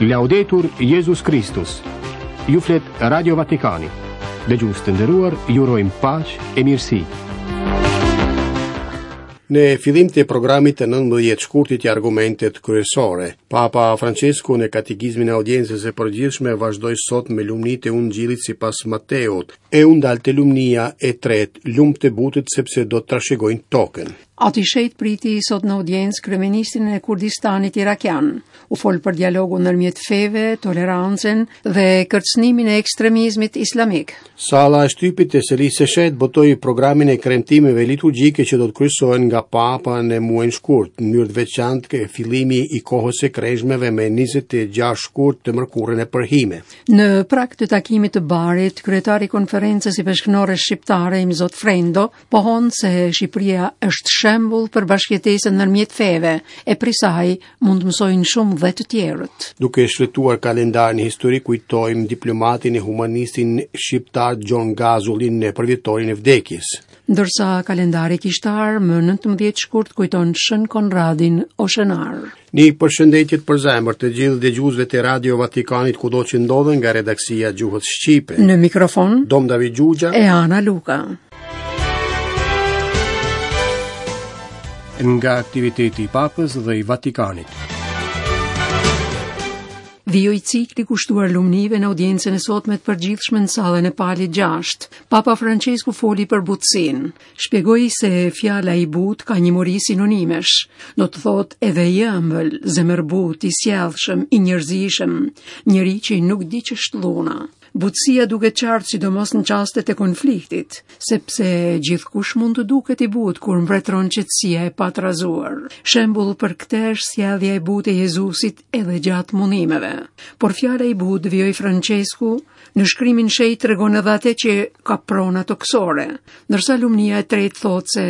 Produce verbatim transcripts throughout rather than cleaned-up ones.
Laudetur Jezus Kristus. Ju flet Radio Vatikani. Dëgjues të nderuar, ju urojmë paqe e mirësi. Në fillim të programit të nëntëmbëdhjetë shkurtit i argumentet kryesore, Papa Francesku në katekizmin e audiencës së përgjithshme vazhdoi sot me lumnitë e Ungjillit sipas Mateut, e u ndal te lumnia e tretë, lum të butët sepse do të trashëgojnë tokën. Ati Shenjt priti sot në audiencë kryeministrin e Kurdistanit irakian. U fol për dialogun ndërmjet feve, tolerancën dhe kërcënimin e ekstremizmit islamik. Salla e shtypit të Selisë së Shenjtë botoi programin e kremtimeve liturgjike që do të kryesohen nga Papa në muajin shkurt, në mënyrë të veçantë ke fillimi i kohës së kreshmeve me njëzet e gjashtë shkurt të mërkurën e përhime. Në prag të takimit të Barit, kryetari i konferencës i peshknore shqiptare Imzot Frendo pohon se Shqipëria është shembull për bashkëjetesën ndërmjet feve, e prej saj mund të mësojnë shumë dhe të tjerët. Duke shfletuar kalendarin historik, kujtojmë diplomatin e humanistin shqiptar Gjon Gazullin në përvjetorin e vdekjes. Ndërsa kalendari kishtar më nëntëmbëdhjetë shkurt kujton Shën Konradin Oshenar. Një përshëndetje të përzemër të gjithë dëgjuesve të Radio Vatikanit kudo që ndodhen nga redaksia Gjuhës Shqipe. Në mikrofon Dom David Gjugja e Ana Luka. Nga aktiviteti i Papës dhe i Vatikanit. Vijoi cikli kushtuar lumnive në audiencën e sotme të përgjithshme në sallën e Palit gjashtë. Papa Francesku foli për butësinë. Shpjegoi se fjala i butë ka një mori sinonimesh. Do të thotë edhe i ëmbël, zemërbut, i sjellshëm, i njerëzishëm, njeri që nuk di ç'është dhuna. Butësia duket qartë sidomos në çastet e konfliktit, sepse gjithkush mund të duket i butë kur mbretëron qetësia e patrazuar. Shembull për këtë është sjellja e butë e Jezusit edhe gjatë mundimeve. Por fjala i butë, vijoi Francesku, në shkrimin shenjt tregon edhe atë që ka prona tokësore, ndërsa lumnia e tretë thotë se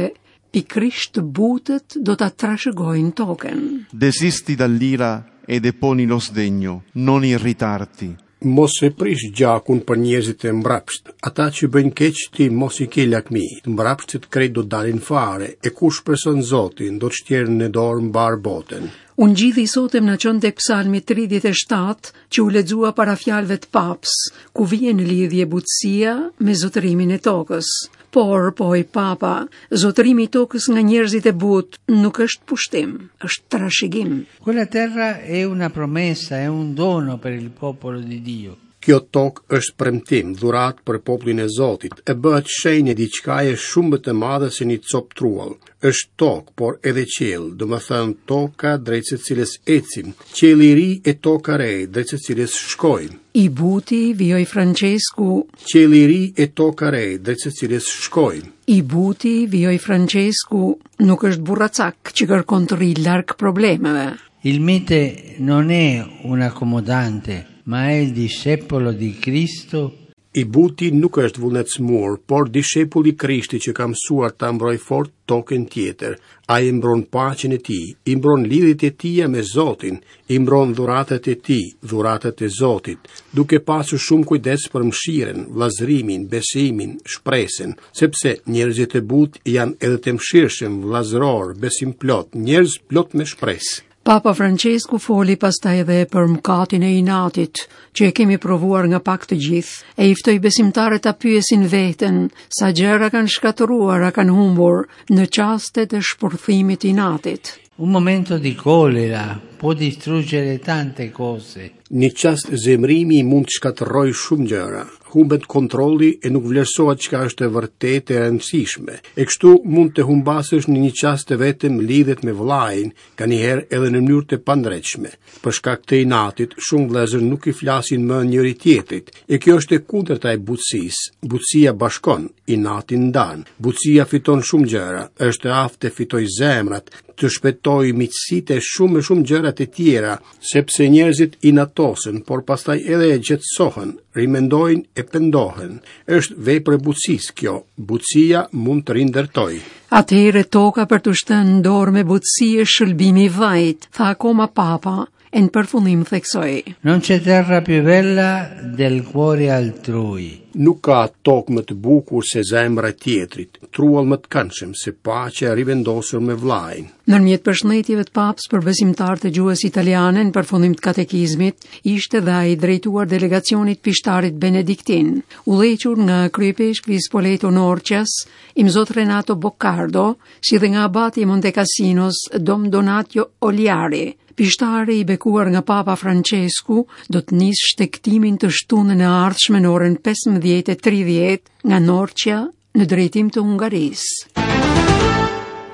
pikërisht të butët do ta trashëgojnë tokën. Desisti dall'ira e deponi lo sdegno, non irritarti. Mos e prish gjakun për njerëzit e mbrapsht. Ata që bëjnë keq ti mos i ke lakmi. Të mbrapshtët krejt do dalin fare, e kush shpreson Zotin do të shtjerë në dorë mbar botën. Ungjilli i sotëm na çon tek Psalmi tridhjetë e shtatë, që u lexua para fjalëve të Papës, ku vjen në lidhje butësia me zotërimin e tokës. Por, pohoi Papa, zotërimi i tokës nga njerëzit e butë nuk është pushtim, është trashëgim. Quella terra è una promessa, è un dono per il popolo di Dio. Kjo tokë është premtim, dhuratë për popullin e Zotit, e bëhet shenjë e diçkaje shumë më të madhe se një copë truall. Është tokë, por edhe qiell, domethënë toka drejt së cilës ecim, qielli i ri e toka re drejt së cilës shkojmë. I buti, vijoi Francesku, qielli i ri e toka re drejt së cilës shkojmë. I buti, vijoi Francesku, nuk është burracak që kërkon të rri larg problemeve. Il mite non è un accomodante, ma è il discepolo di Cristo. I buti nuk është vullnetsmur, por dishepull i Krishtit që ka mësuar ta mbroj fort tokën tjetër. Ai mbron paqen e tij, i mbron lidhjet e tija me Zotin, i mbron dhuratat e tij, dhuratat e Zotit, duke pasur shumë kujdes për mëshirën, vllazërimin, besimin, shpresën, sepse njerëzit e butë janë edhe të mëshirshëm, vllazëror, besimplot, njerëz plot me shpresë. Papa Francesku foli pastaj edhe për mëkatin e inatit, që e kemi provuar nga pak të gjithë, e i ftoi besimtarët ta pyesin veten sa gjëra kanë shkatërruar, a kanë humbur në çastet e shpërthimit të inatit. Un momento di colera può distruggere tante cose. Një çast zemrimi mund të shkatërrojë shumë gjëra. Humbet kontrolli e nuk vlerësohet çka është e vërtetë e rëndësishme. E kështu mund të humbasësh në një çast të vetëm lidhet me vëllain, nganjëherë edhe në mënyrë të pandreqshme. Për shkak të inatit, shumë vëllezër nuk i flasin më njëri tjetrit. E kjo është e kundërta e butësisë. Butësia bashkon, inati ndan. Butësia fiton shumë gjëra, është e aftë të fitojë zemrat, të shpëtojë miqësitë e shumë e shumë gjëra të tjera, sepse njerëzit inatosen, por pastaj edhe e qetësohen, rimendojnë e pendohen. Është vepër e butësisë kjo. Butësia mund të rindërtojë. Atëherë toka për të shtënë në dorë me butësi është shëlbimi i vajt, tha akoma Papa, E në përfundim theksoi: Non c'è terra più bella del cuore altrui. Nuk ka tokë më të bukur se zemra e tjetrit, truall më të këndshëm se paqja e rivendosur me vllajin. Ndërmjet përshëndetjeve të papës për besimtarët e gjuhës italiane në përfundim të katekizmit, ishte dhe ai drejtuar delegacionit pishtarit Benediktin, udhëhequr nga kryepeshkvi Spoleto Norcias, Imzot Renato Boccardo, si dhe nga abati i Monte Cassinos, Dom Donatio Oliari. Pishtari i bekuar nga Papa Francesku do të nisë shtegtimin të shtunën e ardhshme në orën pesëmbëdhjetë e tridhjetë nga Norcia në drejtim të Hungarisë.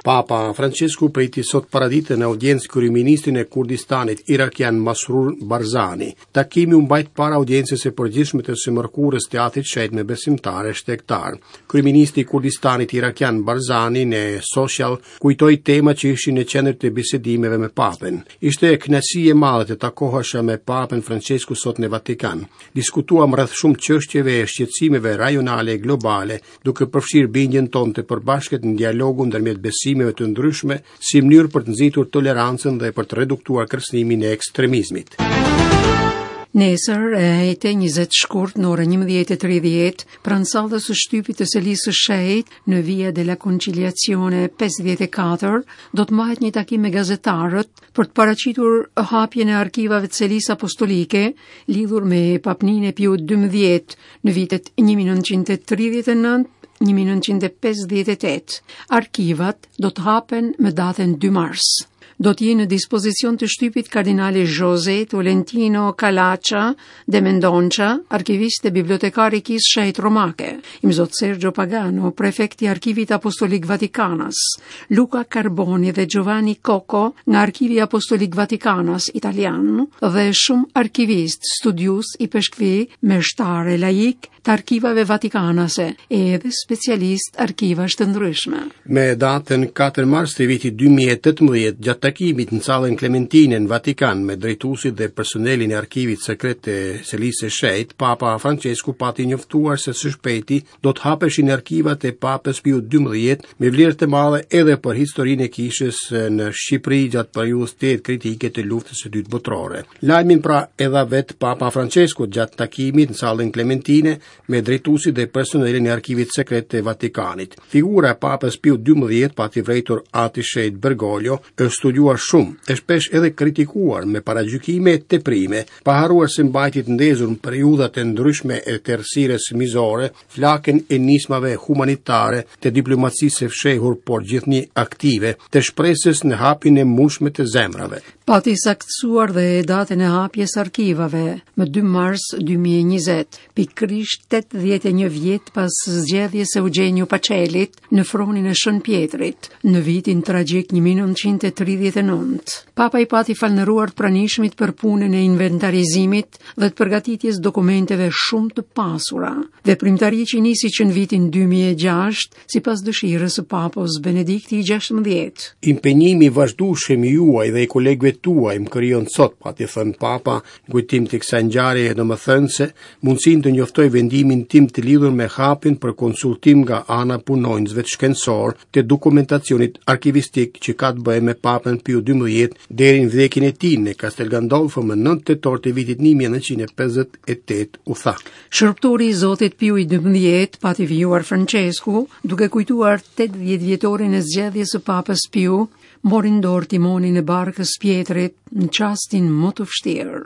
Papa Francesku priti sot paradite në audiencë kryeministrin e Kurdistanit irakian Masrur Barzani. Takimi u mbajt para audiencës së përgjithshme të së mërkurës Teatrit Shenjt me besimtarë e shtegtar. Kryeministri i Kurdistanit irakian Barzani në social kujtoi tema që ishin në qendër të bisedimeve me Papën. Ishte kënaqësi e madhe të takohesha me Papën Francesku sot në Vatikan. Diskutuam rreth shumë çështjeve e shqetësimeve rajonale e globale, duke përfshirë bindjen tonë të përbashkët në dialogun ndërmjet besimeve të ndryshme si mënyrë për të nxitur tolerancën dhe për të reduktuar kërcënimin e ekstremizmit. Nesër, e enjte njëzet shkurt në orën njëmbëdhjetë e tridhjetë, pranë sallës së shtypit të Selisë së Shenjtë në Via della Conciliazione pesëdhjetë e katër, do të mbahet një takim me gazetarët për të paraqitur hapjen e arkivave të Selisë Apostolike lidhur me papninë e Piut dymbëdhjetë në vitet një mijë e nëntëqind e tridhjetë e nëntë një mijë e nëntëqind e pesëdhjetë e tetë. Arkivat do të hapen me datën dy mars. Do të jenë në dispozicion të shtypit kardinali José Tolentino Calaça de Mendonça, arkivist e bibliotekar i Kishës Shenjtë Romake, Imzot Sergio Pagano, prefekt i Arkivit Apostolik Vatikanas, Luca Carboni dhe Giovanni Cocco nga Arkivi Apostolik Vatikanas italian dhe shumë arkivistë, studiues, ipeshkvi, meshtarë laik të arkivave vatikanase edhe specialist arkivash të ndryshme. Me datën katër mars të vitit dy mijë e tetëmbëdhjetë, gjatë takimit në sallën Klementine në Vatikan me drejtuesit dhe personelin e arkivit sekret të Selisë së Shenjtë, Papa Francesku pati njoftuar se së shpejti do të hapeshin arkivat e Papës Piu dymbëdhjetë me vlerë të madhe edhe për historinë e kishës në Shqipëri gjatë periudhës tetë kritike të luftës së dytë botërore. Lajmin pra edhe vetë Papa Francesku gjatë takimit në sallën Klementine me drejtuesit dhe personelin e arkivit sekret të Vatikanit. Figura e Papës Piu dymbëdhjetë pati vrejtur Ati Shenjt Bergoglio, është studiuar shumë, e shpesh edhe kritikuar me paragjykime e teprime, pa harruar se mbajti të ndezur në periudhat e ndryshme e tërësirës mizore, flakën e nismave humanitare, të diplomacisë së fshehur por gjithnjë aktive, të shpresës në hapjen e mundshme të zemrave. Pati saktësuar dhe datën e hapjes arkivave më dy mars dy mijë e njëzet, pikërisht tetëdhjetë e një vjet pas zgjedhjes së Eugenio Pacelit në fronin e Shën Pjetrit në vitin tragjik një mijë e nëntëqind e tridhjetë e nëntë. Papa i pati falënderuar të pranishmit për punën e inventarizimit dhe të përgatitjes dokumenteve shumë të pasura. Veprimtari që nisi që në vitin dy mijë e gjashtë, sipas dëshirës së Papës Benedikti i gjashtëmbëdhjetë. Impenjimi i vazhdueshëm i juaj dhe i kolegëve tuaj më krijon sot, pati thënë Papa, në kujtim të kësaj ngjarjeje domethënëse, mundësinë të njoftoj vendimin tim të lidhur me hapin për konsultim nga ana punonjësve shkencor të dokumentacionit arkivistik që ka të bëjë me Papën Piu dymbëdhjetë deri në vdekjen e tij në Castel Gandolfo më nëntë tetor të vitit një mijë e nëntëqind e pesëdhjetë e tetë, u tha. Shërbëtori i Zotit Piu i dymbëdhjetë pati vijuar Francesku, duke kujtuar tetëdhjetë vjetorin e zgjedhjes së Papës Piu, mori në dorë timonin e barkës Pjetrit në çastin më të vështirë,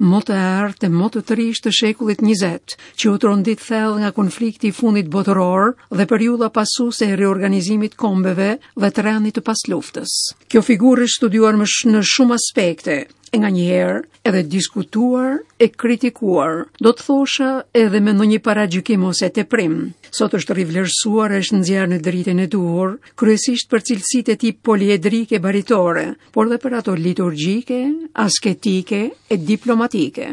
më të errët e më të trishtë të shekullit njëzet, që u trondit thellë nga konflikti i fundit botëror dhe periudha pasuese e riorganizimit kombeve dhe të rendit të pasluftës. Kjo figurë është studiuar më sh-, në shumë aspekte, e nganjëherë edhe diskutuar e kritikuar, do të thosha edhe me ndonjë paragjykim ose teprim. Sot është rivlerësuar e është nxjerrë në dritën e duhur, kryesisht për cilësitë e tij poliedrike baritore, por dhe për ato liturgjike, asketike e diplomatike.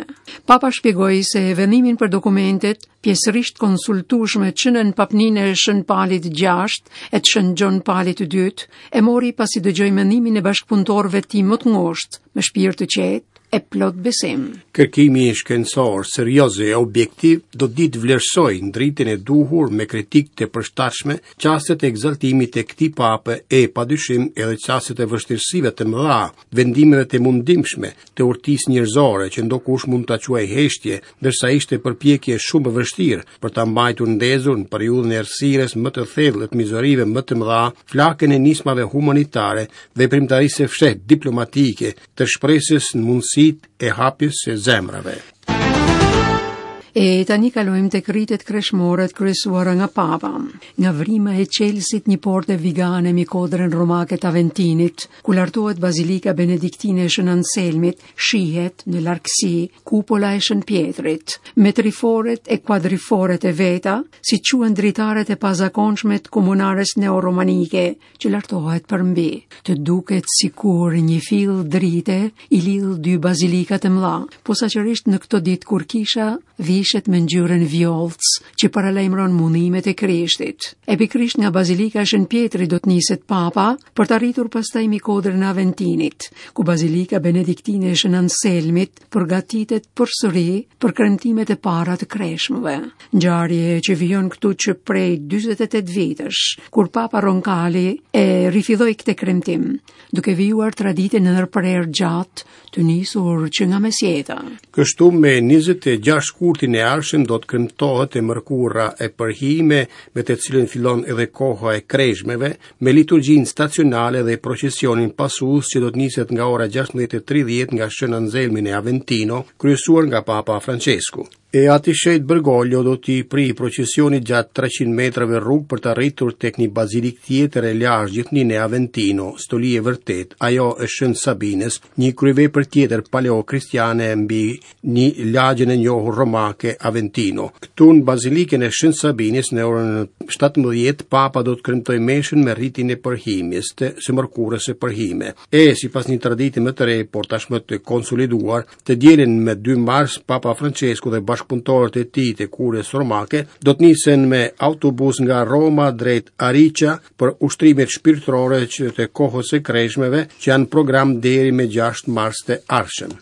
Papa shpjegoi se vendimin për dokumentet pjesërisht konsultueshme që në papninë e Shën Palit gjashtë e të Shën Gjon Palit të dytë, e mori pasi dëgjoi mendimin e bashkëpunëtorëve të tij më të ngushtë, me shpirt të qetë e plot besim. Kërkimi shkencor, serioz e objektiv do të ditë vlerësojë ndritën e duhur me kritikë të përshtatshme çastet e ekzaltimit të këtij pape e padyshim edhe çastet e vështirësive të mëdha, vendimeve të mundimshme, të urtisë njerëzore që ndokush mund ta quajë heshtje, ndërsa ishte përpjekje shumë e vështirë për ta mbajtur ndezur në periudhën e errësirës më të thellë të mizorive më të mëdha, flakën e nismave humanitare, veprimtarisë së fshehtë diplomatike, të shpresës në mundësitë e hapjes së zemrave. E tani kalojmë tek ritet kreshmore të kryesuara nga Papa. Nga vrima e Çelësit një porte vigane mbi kodrën romake të Aventinit, ku lartohet Bazilika Benediktine e Shën Anselmit, shihet në largësi kupola e Shën Pjetrit, me triforet e kuadriforet e veta, si quhen dritaret e pazakonshme të komunares neoromanike që lartohet përmbi. Të duket sikur një fill drite i lidh dy bazilikat e mëdha, posaçërisht në këto ditë kur kisha vishet me ngjyrën vjollc që paralajmëron mundimet e Krishtit. E pikërisht nga Bazilika e Shën Pjetrit do të niset Papa për të arritur pastaj mbi kodrën e Aventinit, ku Bazilika Benediktine e Shën Anselmit përgatitet përsëri për kremtimet e para të kreshmëve. Ngjarje që vijon këtu që prej dyzet e tetë vitesh, kur Papa Roncalli e rifilloi këtë kremtim, duke vijuar traditën e ndërprerë gjatë të nisur që nga mesjeta. Kështu me njëzet e gjashtë shkurtin e ardhshëm do të kremtohet e mërkura e përhime, me të cilën fillon edhe koha e kreshmeve, me liturgjinë stacionale dhe procesionin pasues që do të niset nga ora gjashtëmbëdhjetë e tridhjetë nga Shën Anselmi në Aventino, kryesuar nga Papa Francesku. E ati shenjt Bergoglio do t'i pri procesionit gjatë treqind metrave rrugë për të arritur tek një bazilik tjetër e lashtë gjithnjë në Aventino, stoli e vërtet, ajo e Shën Sabinës, një kryevepër tjetër paleokristiane mbi një lagjen e njohur romake Aventino. Këtu në bazilikën e Shën Sabinës në orën shtatëmbëdhjetë Papa do të kremtojë meshën me ritin e përhimjes të së mërkurës së përhime. E sipas një tradite më të re, por tashmë të konsoliduar, të dielën me dy mars Papa Francesku dhe bashkëpunëtorët e tij të kurës romake do të nisen me autobus nga Roma drejt Arica për ushtrimet shpirtërore që të kohës së kreshmeve që janë program deri me gjashtë mars të ardhshëm.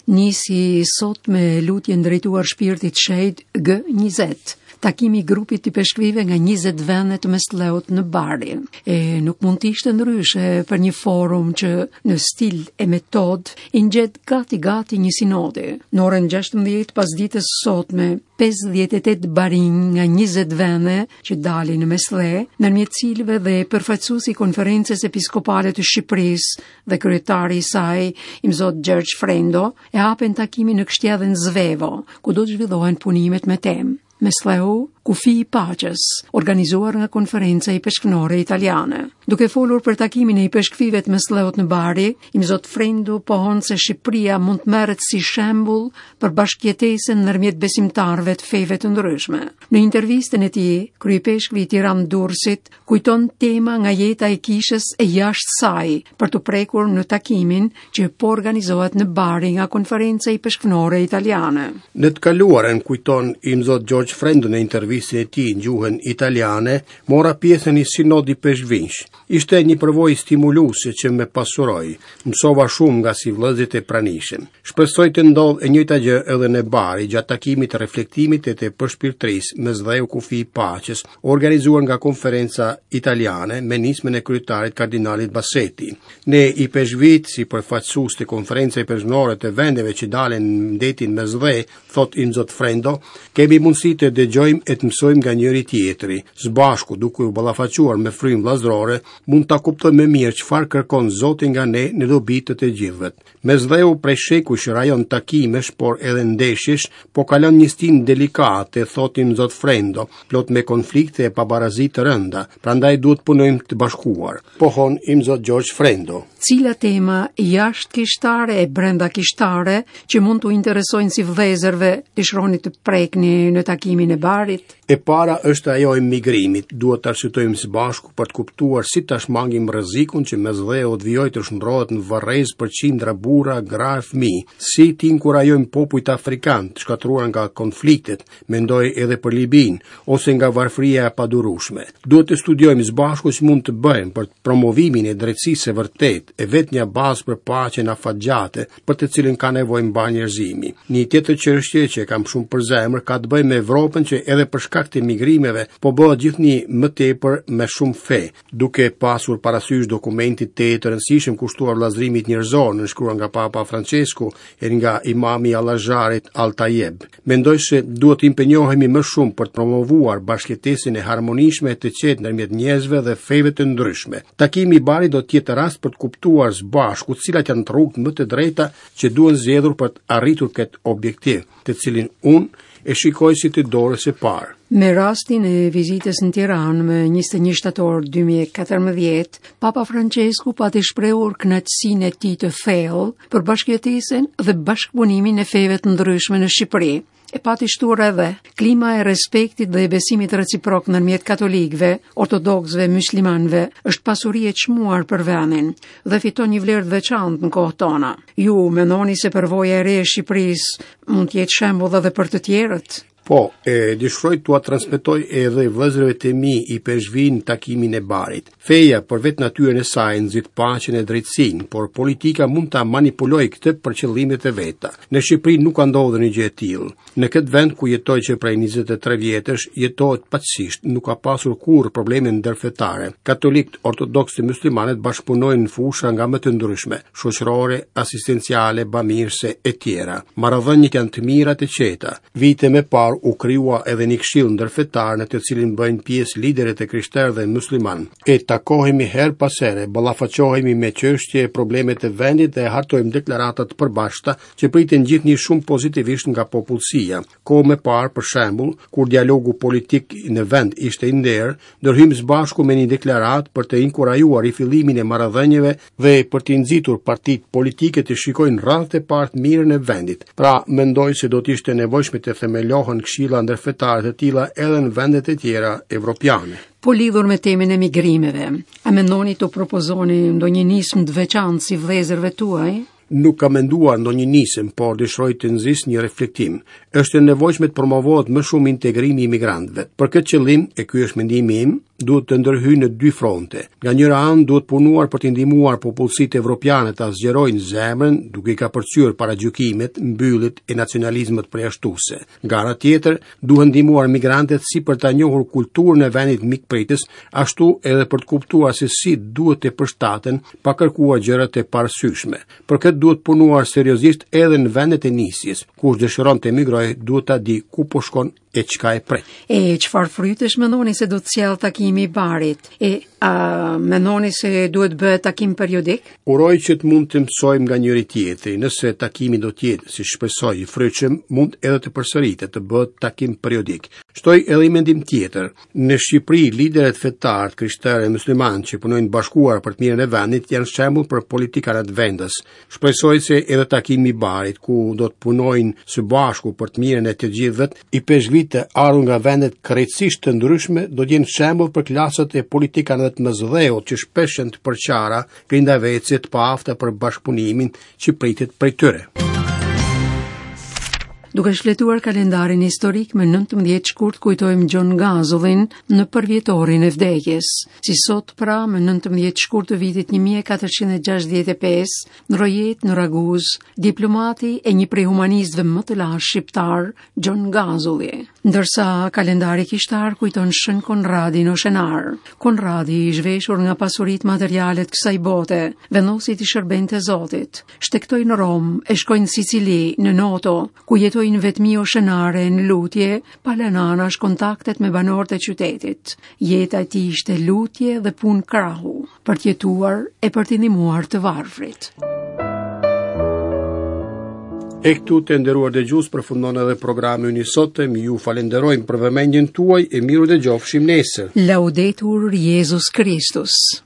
Nisi sot me lutjen drejtuar shpirtit shenjt G njëzet, takimi i grupit të peshkvive nga njëzet vende të Mesdheut në Bari. E nuk mund të ishte ndryshe për një forum që në stil e metod i ngjet gati gati një sinode. Në orën gjashtëmbëdhjetë pas ditës sotme, pesëdhjetë e tetë barinj nga njëzet vende që dalin në Mesdhe, ndërmjet cilëve dhe përfaqësuesi i Konferencës Episkopale të Shqipërisë dhe kryetari i saj, Imzot Gjergj Frendo, e hapen takimin në kështjellën Zvevo, ku do të zhvillohen punimet me temë Mesdheu, kufi i paqes, organizuar nga Konferenca Ipeshkvnore Italiane. Duke folur për takimin e ipeshkvive të Mesdheut në Bari, Imzot Frendo pohon se Shqipëria mund të merret si shembull për bashkëjetesën ndërmjet besimtarëve të feve të ndryshme. Në intervistën e tij, kryepeshkvi i Tiranë Durrësit kujton tema nga jeta e kishës e jashtë saj për të prekur në takimin që po organizohet në Bari nga Konferenca Ipeshkvnore Italiane. Në të kaluarën kujton Imzot Gjergj Frendo në intervistën e tij në gjuhën italiane, mora pjesë në një sinod i peshkvinsh. Ishte një përvojë stimuluese që më pasuroi. Mësova shumë nga si vëllezërit e pranishëm. Shpresoj të ndodh e njëjta gjë edhe në Bari gjatë takimit të reflektimit e të përshpirtërisë Mesdheu kufi i paqes, organizuar nga Konferenca Italiane me nismën e kryetarit kardinalit Bassetti. Ne i peshkvit si përfaqësues të Konferencës Ipeshkvnore të vendeve që dalin në detin Mesdhe, thot Imzot Frendo, kemi mundësi të dëgjojmë e të mësojmë nga njëri tjetri. Së bashku, duke u ballafaquar me frymë vëllazërore, mund ta kuptojmë më mirë çfarë kërkon Zoti nga ne në dobi të të gjithëve. Mesdheu prej shekujsh rajon takimesh, por edhe ndeshjesh, po kalon një stinë delikate, thot Imzot Frendo, plot me konflikte e pabarazi të rënda, prandaj duhet punojmë të bashkuar, pohon Imzot Gjergj Frendo. Cila tema jashtë kishtare e brenda kishtare që mund t'u interesojnë si vëllezërve dëshironi të prekni në takimin e Barit? E para është ajo e migrimit. Duhet të arsyetojmë së bashku për të kuptuar si ta shmangim rrezikun që Mesdheu të vijojë të shndrohet në varrez për qindra burra, gra e fëmijë, si të inkurajojmë popujt afrikanë të shkatërruar nga konfliktet, mendoj edhe për Libinë, ose nga varfëria e padurueshme. Duhet të studiojmë së bashku si mund të bëjmë për promovimin e drejtësisë së vërtetë, e vetmja bazë për paqen afatgjate, për të cilën ka nevojë mbarë njerëzimi. Një tjetër çështje që e kam shumë për zemër ka të bëjë me Evropën që edhe për shkak të migrimeve po bëhet gjithnjë më tepër me shumë fe, duke pasur parasysh dokumentin të të rëndësishëm kushtuar vëllazërimit njerëzor, nënshkruar nga Papa Francesku e nga imami i Al-Azharit Al-Tayeb. Mendoj se duhet të impenjohemi më shumë për të promovuar bashkëjetesën e harmonishme të qetë ndërmjet njerëzve dhe feve të ndryshme. Takimi i Barit do të jetë rast për të kuptuar së bashku cilat janë rrugët më të drejta që duhen zgjedhur për të arritur këtë objektiv, të cilin unë e shikoj si të dorës së parë. Me rastin e vizitës në Tiranë më njëzet e një shtator dy mijë e katërmbëdhjetë, Papa Francesku pati shprehur kënaqësinë e tij të thellë për bashkëjetesën dhe bashkëpunimin e feve të ndryshme në Shqipëri. E pati shtuar edhe klima e respektit dhe e besimit reciprok ndërmjet katolikëve, ortodoksëve, muslimanëve është pasuri e çmuar për vendin dhe fiton një vlerë të veçantë në kohët tona. Ju mendoni se përvoja e re e Shqipërisë mund të jetë shembull edhe për të tjerët? Po, e dëshiroj t'ua transmetoj edhe vëllezërve të mi i peshvin takimin e Barit. Feja për vetë natyrën e saj nxit paqen e drejtësinë, por politika mund ta manipulojë këtë për qëllimet e veta. Në Shqipëri nuk ka ndodhur një gjë e tillë. Në këtë vend ku jetoj që prej njëzet e tre vjetësh, jetohet paqësisht, nuk ka pasur kurrë probleme ndërfetare. Katolikët, ortodoksët e muslimanët bashkëpunojnë në fusha nga më të ndryshme, shoqërore, asistenciale, bamirëse e tjera. Marrëdhëniet janë të mira të qeta. Vite më parë u krijua edhe një këshill ndërfetar në të cilin bëjnë pjesë liderët e krishterë dhe musliman. E takohemi her pas here, ballafaqohemi me çështje e problemet e vendit dhe hartojmë deklarata të përbashkëta që priten gjithnjë shumë pozitivisht nga popullsia. Kohë më parë, për shembull, kur dialogu politik në vend ishte i nderë, ndërhymë së bashku me një deklaratë për të inkurajuar rifillimin e marrëdhënieve dhe për të nxitur partitë politike të shikojnë radhët e parë të mirën e vendit. Pra, mendoj se do të ishte nevojshme të themelohen këshilla ndërfetare të tilla edhe në vendet e tjera evropiane. Po lidhur me temën e migrimeve, a mendoni të propozoni ndonjë nismë të veçantë si vëllezërve tuaj? Nuk kam menduar ndonjë nisëm, por dëshiroj të nxis një reflektim. Është e nevojshme të promovohet më shumë integrimi i migrantëve. Për këtë qëllim, e ky është mendimi im, duhet të ndërhyjë në dy fronte. Nga njëra anë duhet punuar për të ndihmuar popullsitë evropiane ta zgjerojnë zemrën, duke i kapërcyer paragjykimet, mbyllet e nacionalizmat përjashtuese. Nga ana tjetër, duhen ndihmuar migrantët si për ta njohur kulturën e vendit mikpritës, ashtu edhe për të kuptuar se si duhet të përshtaten pa kërkuar gjëra të parsyshme. Për këtë duhet punuar seriozisht edhe në vendet e nisjes. Kush dëshiron të emigrojë, duhet ta di ku po shkon e çka e pret. E çfarë frytesh mendoni se do të sjellë takimi i Barit? E a mendoni se duhet bëhet takim periodik? Uroj që të mund të mësojmë nga njëri tjetri. Nëse takimi do të jetë, si shpresoj, i frytshëm, mund edhe të përsëritet, të bëhet takim periodik. Shtoj edhe një mendim tjetër. Në Shqipëri, liderët fetarë, krishterë e muslimanë që punojnë bashkuar për të mirën e vendit janë shembull për politikanët vendës. Shpresoj se edhe takimi i Barit, ku do të punojnë së bashku për të mirën e të gjithëve, i peshkvit të ardhur nga vendet krejtësisht të ndryshme do të jenë shembull për klasat e politikanëve të mësdheut që shpesh janë të përçara, grindavecë të paafta për bashkëpunimin që pritet prej tyre. Duke shfletuar kalendarin historik me nëntëmbëdhjetë shkurt kujtojmë Gjon Gazullin në përvjetorin e vdekjes. Si sot pra me nëntëmbëdhjetë shkurt të vitit një mijë e katërqind e gjashtëdhjetë e pesë, në Rojet në Raguz, diplomati e një prej humanistëve më të lashtë shqiptar, Gjon Gazulli. Ndërsa kalendari kishtar kujton Shën Konradin Oshenar. Konradi i zhveshur nga pasuritë materiale të kësaj bote, vendosi t'i shërbente Zotit. Shtektoi në Romë e shkoi në Sicili, në Noto, ku jetoi në vetmi oshenare në lutje, pa lënë anash kontaktet me banorët e qytetit. Jeta e tij ishte lutje dhe punë krahu, për të jetuar e për të ndihmuar të varfrit. E këtu të nderuar dëgjues përfundon edhe programi ynë i sotëm. Ju falenderojmë për vëmendjen tuaj e miru dëgjofshim nesër. Laudetur Jezus Kristus.